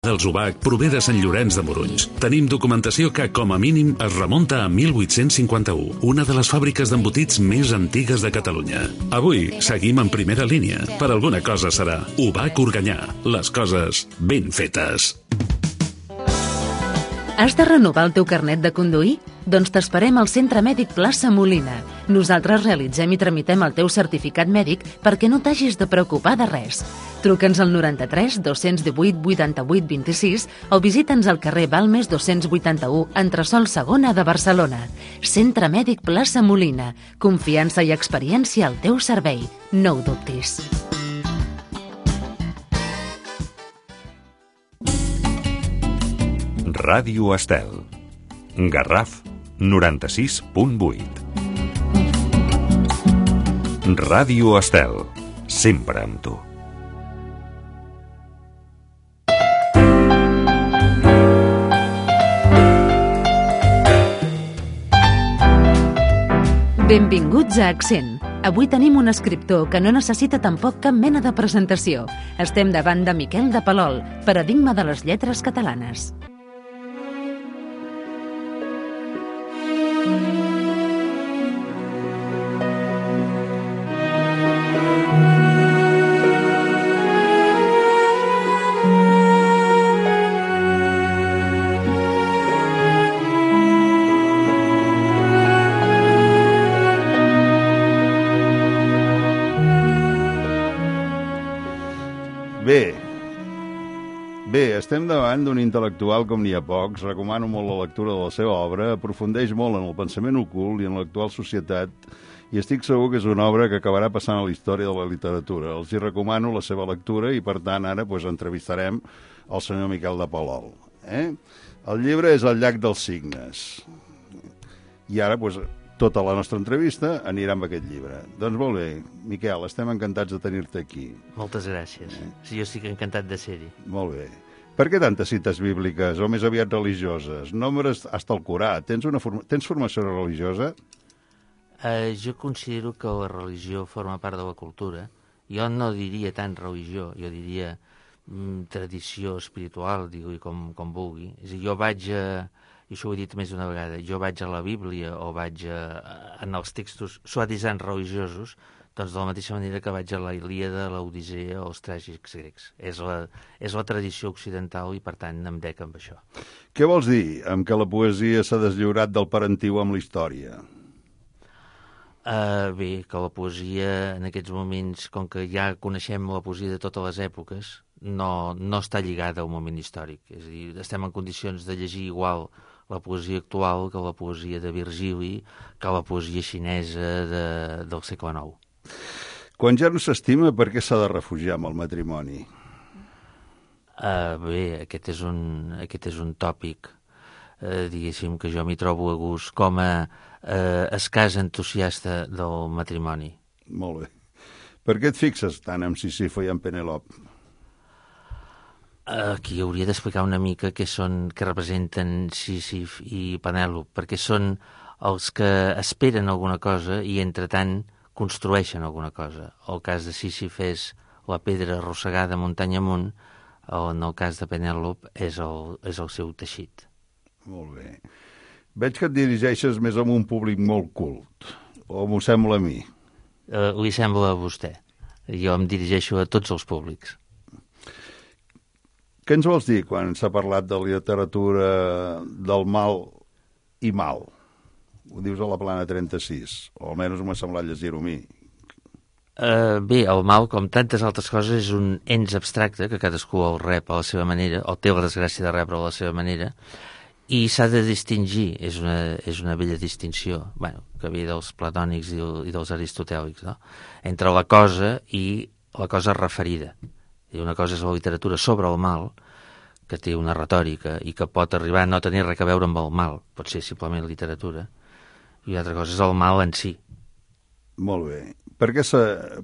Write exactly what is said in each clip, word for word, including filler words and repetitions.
dels U B A C prové de Sant Llorenç de Morunys. Tenim documentació que, com a mínim, es remunta a mil vuit-cents cinquanta-u, una de les fàbriques d'embotits més antigues de Catalunya. Avui seguim en primera línia. Per alguna cosa serà. U B A C Organyà. Les coses ben fetes. Has de renovar el teu carnet de conduir? Doncs t'esperem al Centre Mèdic Plaça Molina. Nosaltres realitzem i tramitem el teu certificat mèdic perquè no t'hagis de preocupar de res. Truca'ns al noranta-tres dos-cents divuit vuitanta-vuit vint-i-sis o visita'ns al carrer Balmes dos-cents vuitanta-u, entresòl segona de Barcelona. Centre Mèdic Plaça Molina. Confiança i experiència al teu servei. No ho dubtis. Ràdio Estel. Garraf noranta-sis punt vuit. Ràdio Estel. Sempre amb tu. Benvinguts a Accent. Avui tenim un escriptor que no necessita tampoc cap mena de presentació. Estem davant de Miquel de Palol, paradigma de les lletres catalanes. Bé, bé, estem davant d'un intel·lectual com n'hi ha pocs. Recomano molt la lectura de la seva obra, aprofundeix molt en el pensament ocult i en l'actual societat, i estic segur que és una obra que acabarà passant a la història de la literatura. Els hi recomano la seva lectura i, per tant, ara pues, entrevistarem el senyor Miquel de Palol. Eh? El llibre és El llac dels cignes. I ara, pues, tota la nostra entrevista anirà amb aquest llibre. Doncs molt bé, Miquel, estem encantats de tenir-te aquí. Moltes gràcies. Eh? Sí, jo estic encantat de ser-hi. Molt bé. Per què tantes cites bíbliques, o més aviat religioses? Nombres hasta el Corà. Tens, una forma... Tens formació religiosa? Uh, jo considero que la religió forma part de la cultura. Jo no diria tant religió, jo diria mm, tradició espiritual, digui com, com vulgui. És a dir, jo vaig a... i això ho he dit més d'una vegada, jo vaig a la Bíblia o vaig a, en els textos suavitzants religiosos, doncs de la mateixa manera que vaig a la Ilíada, l'Odissea o els tràgics grecs. És la, és la tradició occidental i, per tant, em dec amb això. Què vols dir amb que la poesia s'ha deslliurat del parentiu amb la història? Uh, bé, que la poesia en aquests moments, com que ja coneixem la poesia de totes les èpoques, no, no està lligada al moment històric. És a dir, estem en condicions de llegir igual la poesia actual que la poesia de Virgili, que la poesia xinesa de, del segle nou. Quan ja no s'estima, per què s'ha de refugiar amb el matrimoni? Uh, bé, aquest és un, aquest és un tòpic, uh, diguéssim, que jo m'hi trobo a gust com a uh, escàs entusiasta del matrimoni. Molt bé. Per què et fixes tant en Sísifo i en Penelop? Aquí hauria d'explicar una mica què són, què representen Sísif i Penèlop, perquè són els que esperen alguna cosa i, entretant, construeixen alguna cosa. El cas de Sísif és la pedra arrossegada muntanya amunt, en el cas de Penèlop és el, és el seu teixit. Molt bé. Veig que et dirigeixes més a un públic molt cult, o m'ho sembla a mi? Uh, li sembla a vostè. Jo em dirigeixo a tots els públics. Què ens vols dir quan s'ha parlat de literatura del mal i mal? Ho dius a la plana trenta-sis, o almenys m'ha semblat llegir-ho a mi. Uh, bé, el mal, com tantes altres coses, és un ens abstracte que cadascú el rep a la seva manera, o té la desgràcia de rebre a la seva manera, i s'ha de distingir, és una, és una bella distinció, bueno, que ve dels platònics i, i dels aristotèlics, no? Entre la cosa i la cosa referida. I una cosa és la literatura sobre el mal, que té una retòrica i que pot arribar a no tenir res a veure amb el mal, pot ser simplement literatura, i una altra cosa és el mal en si. Molt bé. Per què,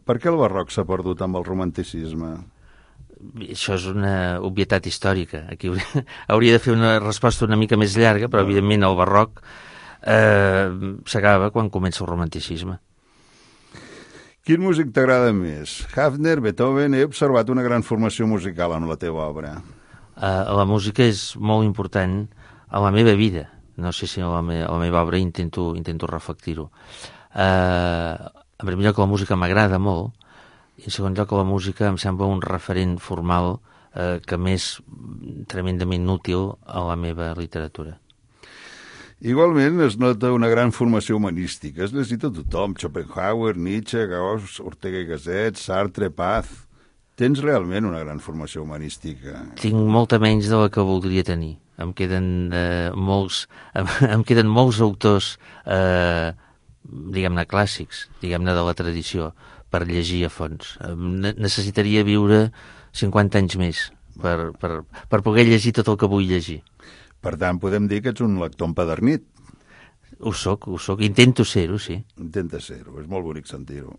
per què el barroc s'ha perdut amb el romanticisme? Això és una obvietat històrica. Aquí hauria, hauria de fer una resposta una mica més llarga, però evidentment el barroc eh, s'acaba quan comença el romanticisme. Quin músic t'agrada més? Hafner, Beethoven... He observat una gran formació musical en la teva obra. Uh, la música és molt important a la meva vida. No sé si a la, me a la meva obra intento, intento reflectir-ho. Uh, en primer lloc, la música m'agrada molt, i en segon lloc, la música em sembla un referent formal uh, que m'és tremendament útil a la meva literatura. Igualment es nota una gran formació humanística. Has llegit a tothom, Schopenhauer, Nietzsche, Gauss, Ortega y Gasset, Sartre, Paz... Tens realment una gran formació humanística. Tinc molta menys de la que voldria tenir. Em queden, eh, molts, em, em queden molts autors, eh, diguem-ne, clàssics, diguem-ne, de la tradició, per llegir a fons. Ne necessitaria viure cinquanta anys més per, per, per poder llegir tot el que vull llegir. Per tant, podem dir que ets un lector empedernit. Ho soc, ho soc. Intento ser-ho, sí. Intenta ser-ho, és molt bonic sentir-ho.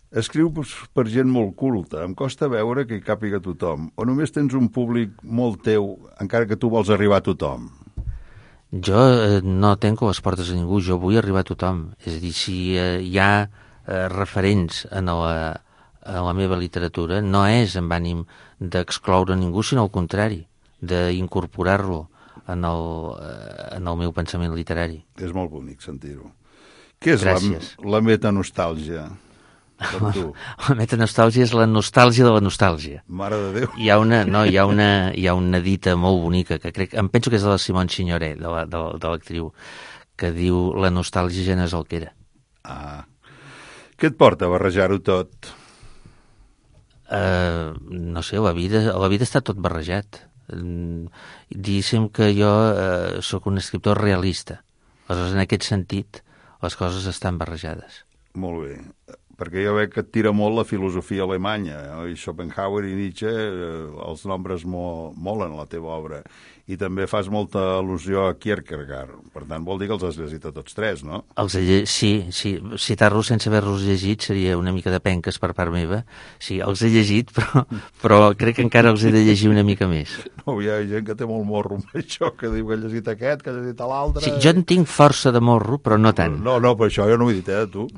Escriu per gent molt culta, em costa veure que hi càpiga tothom, o només tens un públic molt teu, encara que tu vols arribar a tothom? Jo eh, no tenco les portes a ningú, jo vull arribar a tothom. És a dir, si eh, hi ha eh, referents en la, en la meva literatura, no és amb ànim d'excloure ningú, sinó al contrari, d'incorporar-lo en, el, eh, en el meu pensament literari. És molt bonic sentir-ho. Què és Gràcies. la, la metanostàlgia? La, la metanostàlgia és la nostàlgia de la nostàlgia. Mare de Déu. Hi ha una, no, hi ha una, hi ha una dita molt bonica, que crec, em penso que és de la Simone Signoret, de l'actriu, que diu la nostàlgia ja no és el que era. Ah. Què et porta a barrejar-ho tot? Uh, no sé, la vida, la vida està tot barrejat. Uh, diguéssim que jo uh, sóc un escriptor realista. Aleshores, en aquest sentit, les coses estan barrejades. Molt bé. Perquè jo veig que et tira molt la filosofia alemanya. Eh? Schopenhauer i Nietzsche, eh, els nombres mo molen a la teva obra. I també fas molta al·lusió a Kierkegaard. Per tant, vol dir que els has llegit a tots tres, no? Els he, sí, sí. Citar-los sense haver-los llegit seria una mica de penques per part meva. Sí, els he llegit, però, però crec que encara els he de llegir una mica més. No, hi ha gent que té molt morro amb això, que diu que ha llegit aquest, que ha llegit l'altre... Sí, jo en tinc força de morro, però no tant. No, no, per això jo no ho he dit, eh, tu.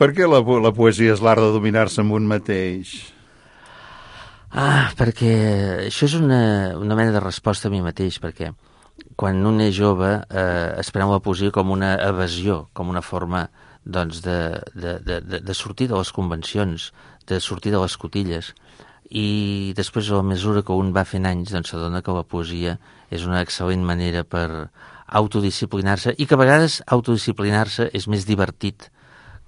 Per què la, la poesia és l'art de dominar-se amb un mateix? Ah, perquè això és una, una mena de resposta a mi mateix, perquè quan un és jove eh, es pren la poesia com una evasió, com una forma doncs, de, de, de, de sortir de les convencions, de sortir de les cotilles, i després a la mesura que un va fent anys doncs s'adona que la poesia és una excel·lent manera per autodisciplinar-se, i que a vegades autodisciplinar-se és més divertit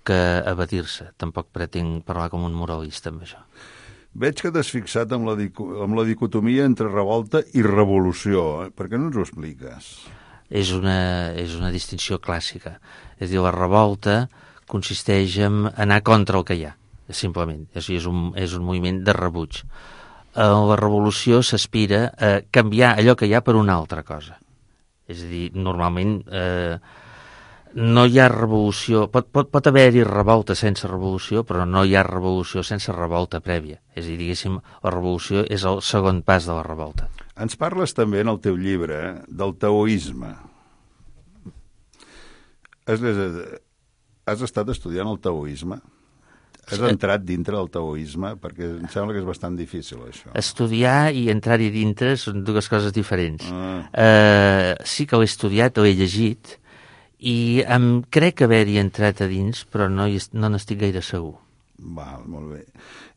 que evadir-se. Tampoc pretenc parlar com un moralista amb això. Veig que t'has fixat amb la, amb la dicotomia entre revolta i revolució. Eh? Per què no ens ho expliques? És una, és una distinció clàssica. És a dir, la revolta consisteix en anar contra el que hi ha, simplement. És, és, un, és un moviment de rebuig. La revolució s'aspira a canviar allò que hi ha per una altra cosa. És a dir, normalment eh, no hi ha revolució, pot, pot, pot haver-hi revolta sense revolució, però no hi ha revolució sense revolta prèvia. És a dir, diguéssim, la revolució és el segon pas de la revolta. Ens parles també en el teu llibre eh, del taoisme. Has, has estat estudiant el taoisme? Has entrat dintre del taoisme? Perquè em sembla que és bastant difícil, això. Estudiar i entrar-hi dintre són dues coses diferents. Ah. Eh, sí que l'he estudiat, l'he llegit, i em crec haver-hi entrat a dins, però no no n'estic gaire segur. Val, molt bé.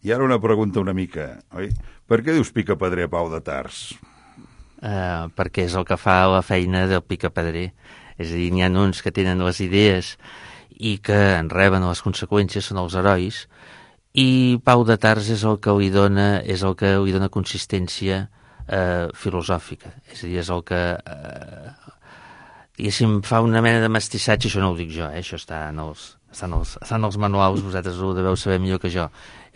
I ara una pregunta una mica, oi? Per què dius picapedrer a Pau de Tars? Uh, perquè és el que fa la feina del picapedrer. És a dir, n'hi ha uns que tenen les idees i que en reben les conseqüències, són els herois, i Pau de Tars és el que li dona, és el que li dona consistència uh, filosòfica. És a dir, és el que... Uh, diguéssim, fa una mena de mestissatge, això no ho dic jo, eh? Això està en els, està en els, està en els manuals, vosaltres ho deveu saber millor que jo.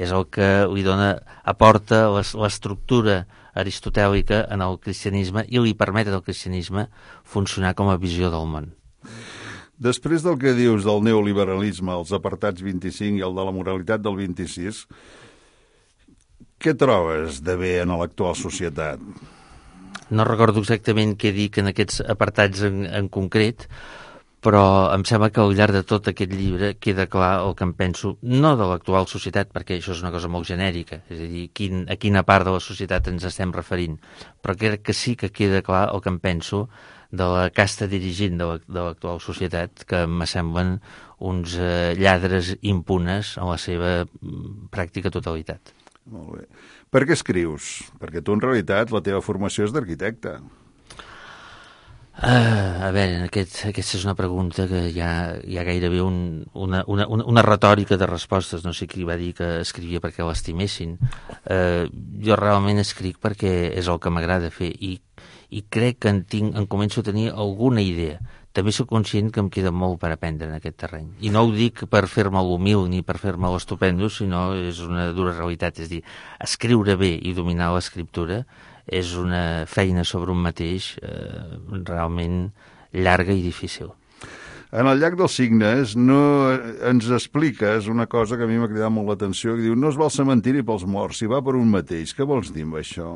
És el que li dona, aporta l'estructura aristotèlica en el cristianisme i li permet al cristianisme funcionar com a visió del món. Després del que dius del neoliberalisme, els apartats vint-i-cinc i el de la moralitat del vint-i-sis, què trobes de bé en l'actual societat? No recordo exactament què dic en aquests apartats en, en concret, però em sembla que al llarg de tot aquest llibre queda clar el que em penso, no de l'actual societat, perquè això és una cosa molt genèrica, és a dir, quin, a quina part de la societat ens estem referint, però crec que sí que queda clar el que em penso de la casta dirigent de l'actual societat, que m'assemblen uns eh, lladres impunes en la seva pràctica totalitat. Molt bé. Per què escrius? Perquè tu, en realitat, la teva formació és d'arquitecte. Uh, a veure, aquest, aquesta és una pregunta que hi ha, hi ha gairebé un, una, una, una retòrica de respostes. No sé qui va dir que escrivia perquè l'estimessin. Uh, jo realment escric perquè és el que m'agrada fer i, i crec que en, tinc, en començo a tenir alguna idea. També soc conscient que em queda molt per aprendre en aquest terreny. I no ho dic per fer-me l'humil ni per fer-me l'estupendo, sinó és una dura realitat. És dir, escriure bé i dominar l'escriptura és una feina sobre un mateix eh, realment llarga i difícil. En el llac dels Cignes no ens expliques una cosa que a mi m'ha cridat molt l'atenció, que diu, no es va al cementiri pels morts, si va per un mateix. Què vols dir amb això?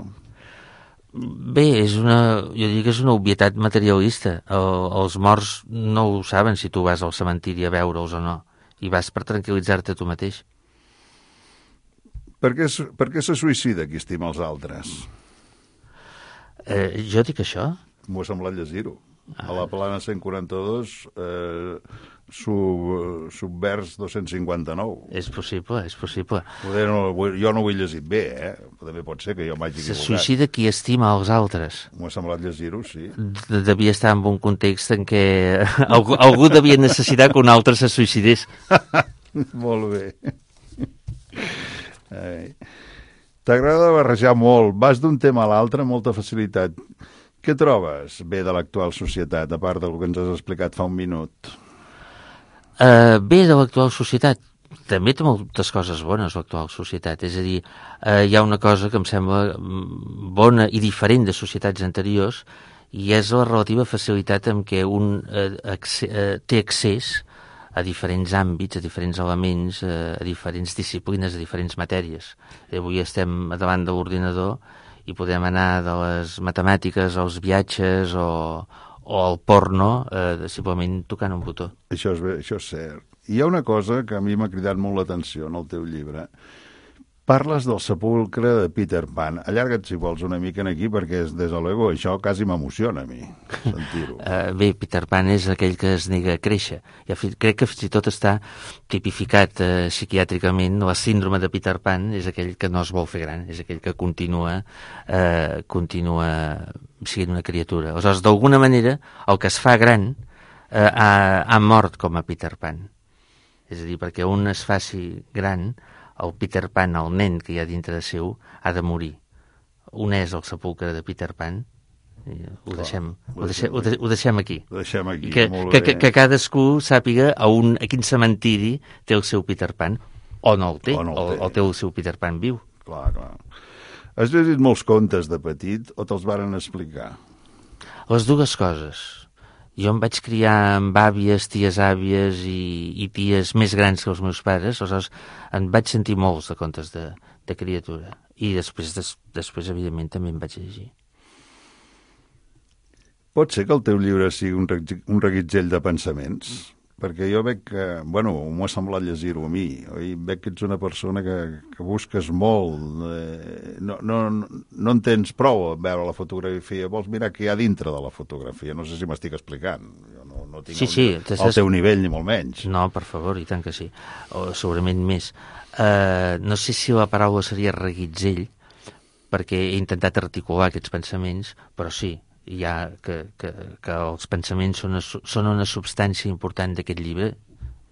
Bé, és una, jo dic que és una obvietat materialista. El, els morts no ho saben si tu vas al cementiri a veure'ls o no, i vas per tranquil·litzar-te tu mateix. Per què, per què se suïcida qui estima els altres? Eh, jo dic això? M'ho ha semblat llegir-ho. Ah. A la plana cent quaranta-dos, eh, sub, subvers dos-cents cinquanta-nou. És possible, és possible. Poder no, jo no ho he llegit bé, eh? També pot ser que jo m'hagi equivocat. Se suïcida qui estima els altres. M'ho ha semblat llegir-ho, sí. Devia estar en un context en què algú, algú devia necessitar que un altre se suïcidés. Molt bé. Ai. T'agrada barrejar molt, vas d'un tema a l'altre amb molta facilitat. Què trobes bé de l'actual societat, a part del que ens has explicat fa un minut? Uh, bé de l'actual societat? També té moltes coses bones, l'actual societat. És a dir, uh, hi ha una cosa que em sembla bona i diferent de societats anteriors, i és la relativa facilitat amb què un uh, acce- uh, té accés a diferents àmbits, a diferents elements, a diferents disciplines, a diferents matèries. I avui estem davant de l'ordinador i podem anar de les matemàtiques als viatges o, o al porno eh, simplement tocant un botó. Això és, bé, això és cert. Hi ha una cosa que a mi m'ha cridat molt l'atenció en el teu llibre. Parles del sepulcre de Peter Pan. Allarga't, si vols, una mica en aquí, perquè, des de luego, això quasi m'emociona a mi, sentir-ho. Uh, bé, Peter Pan és aquell que es nega a créixer. I crec que fins i tot està tipificat uh, psiquiàtricament. La síndrome de Peter Pan és aquell que no es vol fer gran, és aquell que continua, uh, continua sent una criatura. Aleshores, d'alguna manera, el que es fa gran uh, ha, ha mort com a Peter Pan. És a dir, perquè un es faci gran, el Peter Pan, el nen que hi ha dintre de seu, ha de morir. Un és el sepulcre de Peter Pan, i ho, Clar, deixem, ho, deixem, ho, deixem, ho deixem aquí. Ho deixem aquí, que, molt que, bé. Que, que cadascú sàpiga a, un, a quin cementiri té el seu Peter Pan, o no el té, o, no el té. o, o té el seu Peter Pan viu. Clar, clar. Has llegit molts contes de petit o te'ls varen explicar? Les dues coses. Jo em vaig criar amb àvies, ties àvies i, i ties més grans que els meus pares, aleshores em vaig sentir molts de contes de, de criatura. I després, des, després, evidentment, també em vaig llegir. Pot ser que el teu llibre sigui un, un reguitzell de pensaments? Perquè jo veig que, bueno, m'ho ha semblat llegir-ho a mi, oi? Veig que ets una persona que, que busques molt, eh, no, no, no en tens prou a veure la fotografia, vols mirar què hi ha dintre de la fotografia, no sé si m'estic explicant, jo no, no tinc sí, el, sí, el teu nivell ni molt menys. No, per favor, i tant que sí, o segurament més. Uh, no sé si la paraula seria reguitzell, perquè he intentat articular aquests pensaments, però sí, ja que, que, que els pensaments són, són una substància important d'aquest llibre,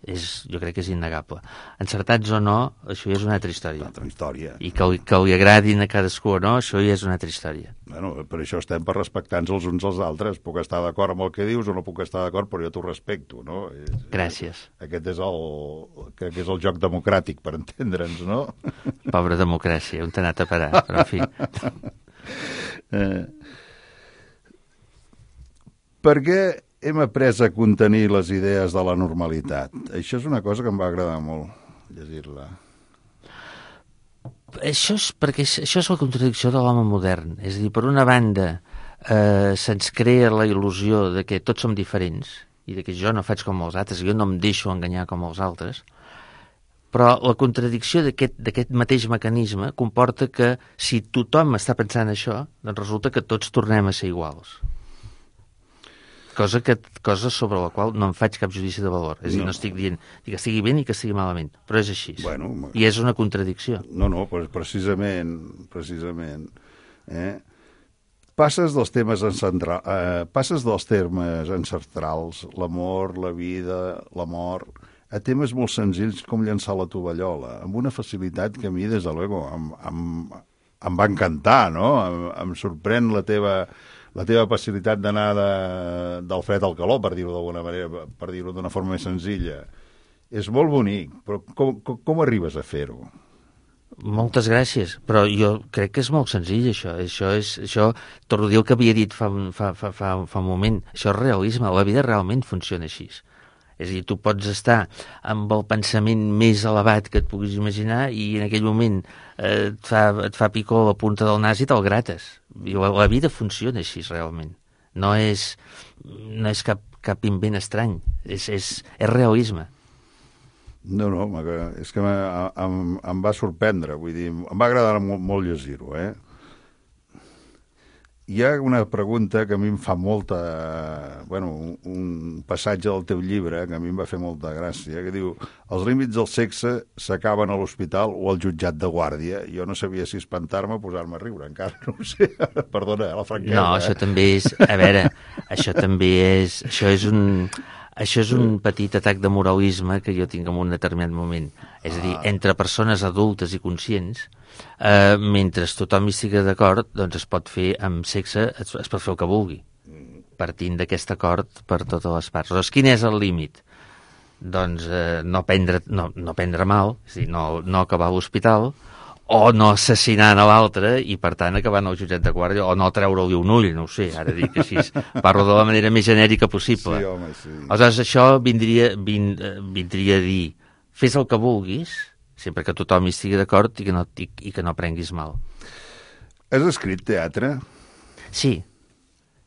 és, jo crec que és innegable. Encertats o no, això ja és una altra història. Una altra història. I que, que li agradin a cadascú o no, això ja és una altra història. Bueno, per això estem per respectar-nos els uns als altres. Puc estar d'acord amb el que dius o no puc estar d'acord, però jo t'ho respecto, no? És, Gràcies. Aquest és el, crec que és el joc democràtic, per entendre'ns, no? Pobra democràcia, on t'ha anat a parar, però en fi. eh... Per què hem après a contenir les idees de la normalitat? Això és una cosa que em va agradar molt llegir-la. Això és perquè això és la contradicció de l'home modern. És a dir, per una banda, eh, se'ns crea la il·lusió de que tots som diferents i de que jo no faig com els altres, jo no em deixo enganyar com els altres, però la contradicció d'aquest mateix mecanisme comporta que si tothom està pensant això, doncs resulta que tots tornem a ser iguals. Cosa, que, cosa sobre la qual no em faig cap judici de valor. És a dir, no, no estic dient que estigui bé ni que estigui malament, però és així. Bueno, I és una contradicció. No, no, pues precisament, precisament. Eh? Passes dels temes encentra... eh, passes dels termes ancestrals, l'amor, la vida, la mort, a temes molt senzills com llançar la tovallola, amb una facilitat que a mi, des de luego, em, em, em va encantar, no? Em, em sorprèn la teva, la teva facilitat d'anar de, del fred al calor, per dir-ho d'alguna manera, per dir-ho d'una forma més senzilla. És molt bonic, però com, com, com arribes a fer-ho? Moltes gràcies, però jo crec que és molt senzill, això. Això és, això, torno a dir el que havia dit fa, fa, fa, fa, fa un moment. Això és realisme, la vida realment funciona així. És a dir, tu pots estar amb el pensament més elevat que et puguis imaginar i en aquell moment eh, et, fa, et fa picor la punta del nas i te'l grates. I la, la vida funciona així, realment. No és, no és cap, cap invent estrany, és, és, és realisme. No, no, és que em, em va sorprendre, vull dir, em va agradar molt, molt llegir-ho, eh? Hi ha una pregunta que a mi em fa molta... Bueno, un, un passatge del teu llibre que a mi em va fer molta gràcia, que diu: els límits del sexe s'acaben a l'hospital o al jutjat de guàrdia. Jo no sabia si espantar-me o posar-me a riure, encara no ho sé. Perdona, la franquesa. No, eh? això també és... A veure, això també és... Això és un... Això és un petit atac de moralisme que jo tinc en un determinat moment. És a dir, entre persones adultes i conscients, eh, mentre tothom hi estigui d'acord, doncs es pot fer amb sexe, es, es pot fer el que vulgui, partint d'aquest acord per totes les parts. Llavors, quin és el límit? Doncs eh, no, prendre, no, no prendre mal, és a dir, no, no acabar a l'hospital, o no assassinant a l'altre i, per tant, acabant al jutjat de guàrdia, o no treure-li un ull, no ho sé, ara dic així, parlo de la manera més genèrica possible. Sí, home, sí. Aleshores, això vindria, vind, vindria a dir, fes el que vulguis, sempre que tothom hi estigui d'acord i, que no, i, i que no prenguis mal. Has escrit teatre? Sí,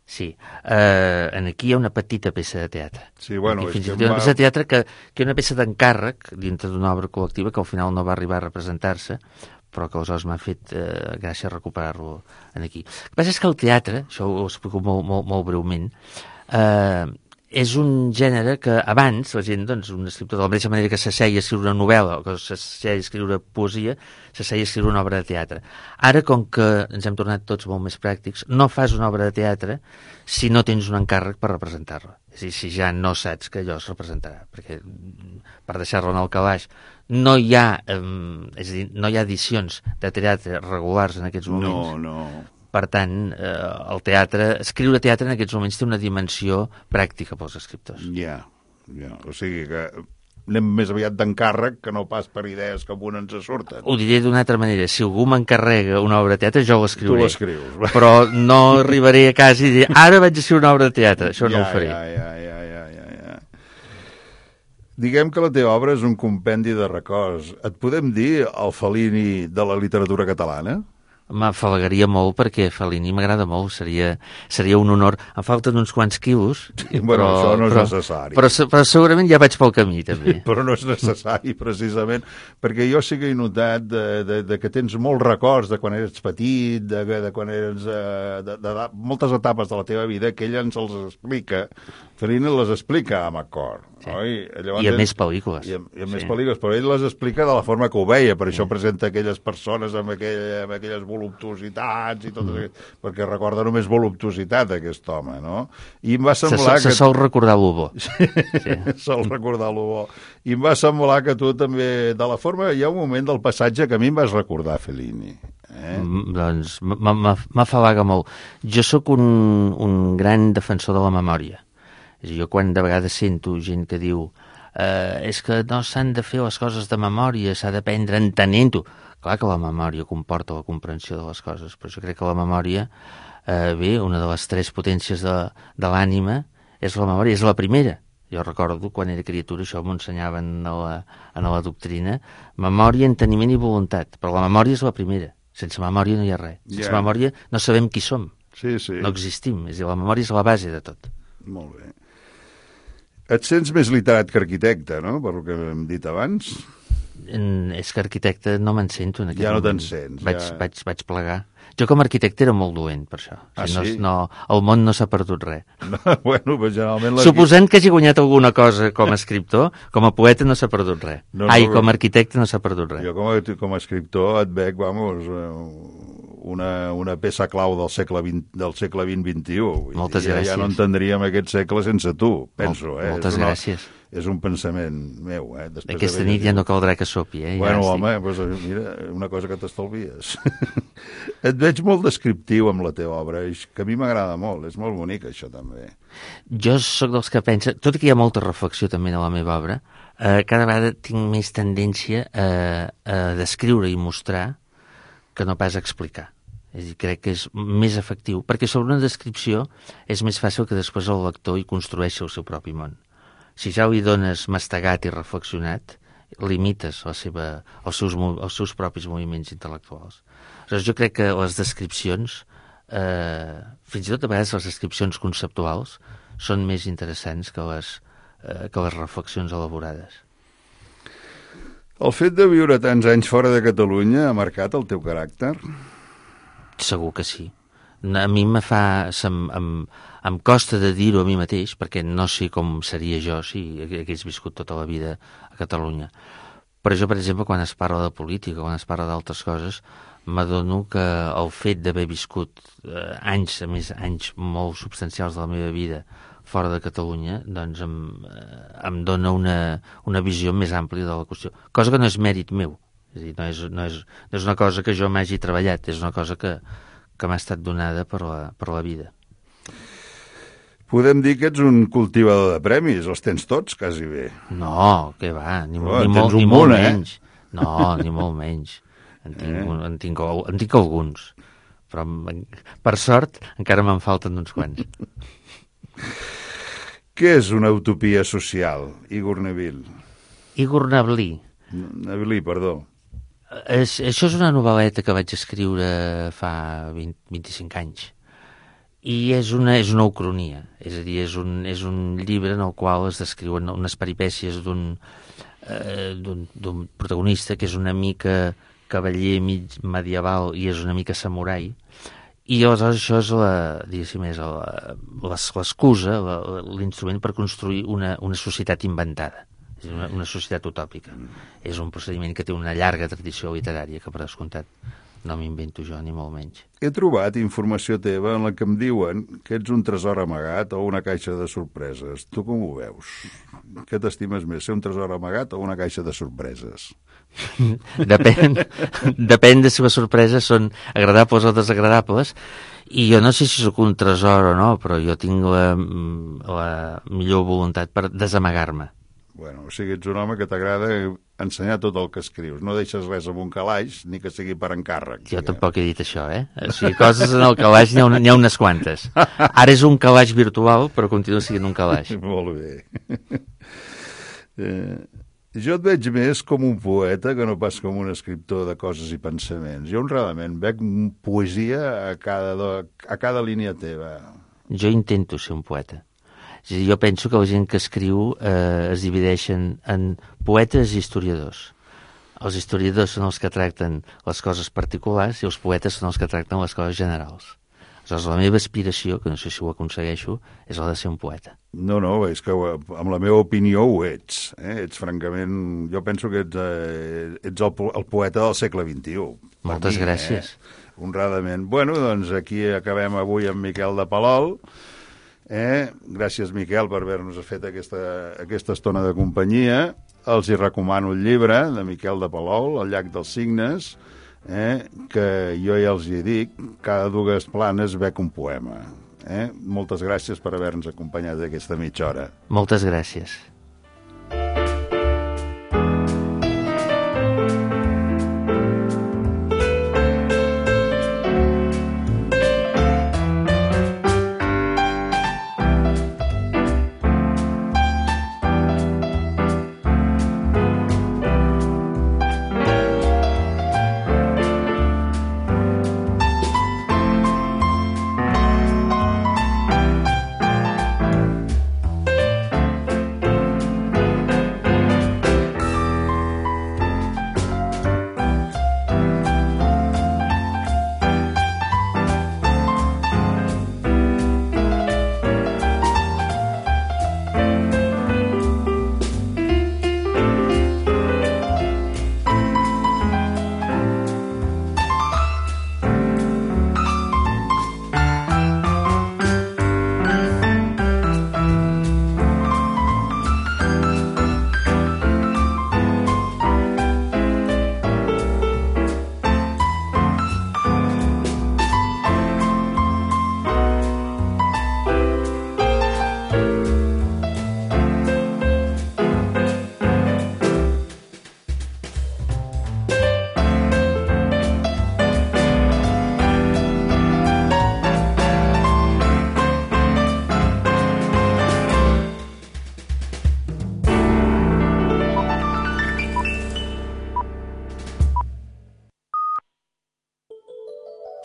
sí. Uh, en aquí hi ha una petita peça de teatre. Sí, bueno, aquí, és fins que hi ha una va... peça de teatre que, que hi ha una peça d'encàrrec dintre d'una obra col·lectiva que al final no va arribar a representar-se, però que aleshores m'ha fet eh, gràcia recuperar-lo aquí. El que passa és que el teatre, això ho explico molt, molt, molt breument, eh, és un gènere que abans la gent, doncs, un escriptor, de la mateixa manera que s'asseia a escriure una novel·la o que s'asseia a escriure poesia, s'asseia a escriure una obra de teatre. Ara, com que ens hem tornat tots molt més pràctics, no fas una obra de teatre si no tens un encàrrec per representar-la. És a dir, si ja no saps que allò es representarà, perquè per deixar-lo en el calaix no hi ha, eh, és a dir, no hi ha edicions de teatre regulars en aquests moments. No, no. Per tant, eh, el teatre, escriure teatre en aquests moments té una dimensió pràctica pels escriptors. Ja, ja. O sigui que anem més aviat d'encàrrec que no pas per idees que amb una ens surten. Ho diré d'una altra manera, si algú m'encarrega una obra de teatre, jo l'escriuré. Tu l'escrius. Però no arribaré a casa i diré, ara vaig a escriure una obra de teatre, això ja, no ho faré. Ja, ja, ja, ja, ja, ja. Diguem que la teva obra és un compendi de records. Et podem dir el Fellini de la literatura catalana? M'afalagaria molt perquè Fellini m'agrada molt, seria, seria un honor. Em falten uns quants quilos, bueno, però, això no és però, necessari. Però, però segurament ja vaig pel camí, també. Però no és necessari, precisament, perquè jo sí que he notat de, de, de que tens molts records de quan eres petit, de, de quan eres... De, de, de moltes etapes de la teva vida que ell ens els explica. Fellini les explica amb acord, sí. Oi? Llavors, I a més pel·lícules. I a, i a més sí. pel·lícules, però ell les explica de la forma que ho veia, per sí. això presenta aquelles persones amb, aquell, amb aquelles voluptuositats i tot, mm. perquè recorda només voluptuositat aquest home, no? I em va semblar se, que... Se sol recordar lo bo. Sí. Sol recordar lo bo. I em va semblar que tu també, de la forma, hi ha un moment del passatge que a mi em vas recordar Fellini. Eh? Mm, doncs m'afalaga molt. Jo sóc un, un gran defensor de la memòria. És a dir, jo quan de vegades sento gent que diu eh, és que no s'han de fer les coses de memòria, s'ha d'aprendre entenent-ho. Clar que la memòria comporta la comprensió de les coses, però jo crec que la memòria, eh, bé, una de les tres potències de, de l'ànima és la memòria, és la primera. Jo recordo, quan era criatura, això m'ho ensenyaven a la, a la doctrina, memòria, enteniment i voluntat, però la memòria és la primera. Sense memòria no hi ha res. Sense yeah. memòria no sabem qui som. Sí, sí. No existim. És a dir, la memòria és la base de tot. Molt bé. Et sents més literat que arquitecte, no?, per el que hem dit abans. En, és que arquitecte no me'n sento en aquest Ja no moment. te'n sents. Vaig, ja... vaig, vaig plegar. Jo com a arquitecte era molt dolent, per això. Ah, o sigui, sí? no, no, el món no s'ha perdut res. No, bueno, però generalment... Suposant que hagi guanyat alguna cosa com a escriptor, com a poeta no s'ha perdut res. No, no, Ai, però... com a arquitecte no s'ha perdut res. Jo com a, com a escriptor et veig, vamos, una, una peça clau del segle vint, del segle vint vint-i-u. Moltes ja, gràcies. Ja no entendríem aquest segle sense tu, penso. Mol, eh? Moltes és una, gràcies. És un pensament meu. Eh? Després Aquesta de nit ja no caldrà que sopi, eh? Bueno, ja home, doncs, mira, una cosa que t'estalvies. Et veig molt descriptiu amb la teva obra, que a mi m'agrada molt, és molt bonic això també. Jo sóc dels que pensa, tot i que hi ha molta reflexió també a la meva obra, eh, cada vegada tinc més tendència a, a descriure i mostrar que no pas a explicar. És a dir, crec que és més efectiu, perquè sobre una descripció és més fàcil que després el lector hi construeixi el seu propi món. Si ja hi dones mastegat i reflexionat, limites la seva, els, seus, els seus propis moviments intel·lectuals. Aleshores, jo crec que les descripcions, eh, fins i tot a vegades les descripcions conceptuals, són més interessants que les, eh, que les reflexions elaborades. El fet de viure tants anys fora de Catalunya ha marcat el teu caràcter? Segur que sí. A mi me fa... Em, em, em costa de dir-ho a mi mateix, perquè no sé com seria jo si hagués viscut tota la vida a Catalunya. Però jo, per exemple, quan es parla de política, quan es parla d'altres coses, m'adono que el fet d'haver viscut eh, anys, a més anys molt substancials de la meva vida fora de Catalunya, doncs em, eh, em dona una, una visió més àmplia de la qüestió. Cosa que no és mèrit meu. És a dir, no és, no és, no és una cosa que jo m'hagi treballat, és una cosa que, que m'ha estat donada per la, per la vida. Podem dir que ets un cultivador de premis, els tens tots, quasi bé. No, què va, ni, oh, ni, molt, ni munt, molt eh? menys. No, ni molt menys. En tinc, eh? en, tinc, en tinc alguns, però per sort encara me'n falten uns quants. Què és una utopia social, Igor Neville? Igor Neville. Neville, perdó. És, això és una novel·leta que vaig escriure fa vint, vint-i-cinc anys. I és una, és una ucronia, és a dir, és un, és un llibre en el qual es descriuen unes peripècies d'un eh, d'un protagonista que és una mica cavaller mig medieval i és una mica samurai, i aleshores això és la, diguéssim, és l'excusa, l'instrument per construir una, una societat inventada. És una, una societat utòpica. És un procediment que té una llarga tradició literària, que per descomptat no m'invento jo, ni molt menys. He trobat informació teva en la que em diuen que ets un tresor amagat o una caixa de sorpreses. Tu com ho veus? Què t'estimes més, ser un tresor amagat o una caixa de sorpreses? Depèn, depèn de si les sorpreses són agradables o desagradables, i jo no sé si sóc un tresor o no, però jo tinc la, la millor voluntat per desamagar-me. Bueno, o sigui, ets un home que t'agrada ensenyar tot el que escrius. No deixes res amb un calaix, ni que sigui per encàrrec. Jo tampoc he dit això, eh? O sigui, coses en el calaix n'hi ha, una, n'hi ha unes quantes. Ara és un calaix virtual, però continua sent un calaix. Molt bé. Eh, jo et veig més com un poeta que no pas com un escriptor de coses i pensaments. Jo, honradament, veig poesia a cada, do, a cada línia teva. Jo intento ser un poeta. És a dir, jo penso que la gent que escriu eh, es divideixen en poetes i historiadors. Els historiadors són els que tracten les coses particulars i els poetes són els que tracten les coses generals. Aleshores, la meva aspiració, que no sé si ho aconsegueixo, és la de ser un poeta. No, no, és que amb la meva opinió ho ets. Eh? Ets francament... Jo penso que ets, eh, ets el, po el poeta del segle vint-i-u. Moltes mi, gràcies. Eh? Honradament. Bueno, doncs aquí acabem avui amb Miquel de Palol. Eh? Gràcies, Miquel, per haver-nos fet aquesta, aquesta estona de companyia. Els hi recomano el llibre de Miquel de Palol, El llac dels cignes, eh? que jo ja els hi dic, cada dues planes bec un poema. Eh? Moltes gràcies per haver-nos acompanyat aquesta mitja hora. Moltes gràcies.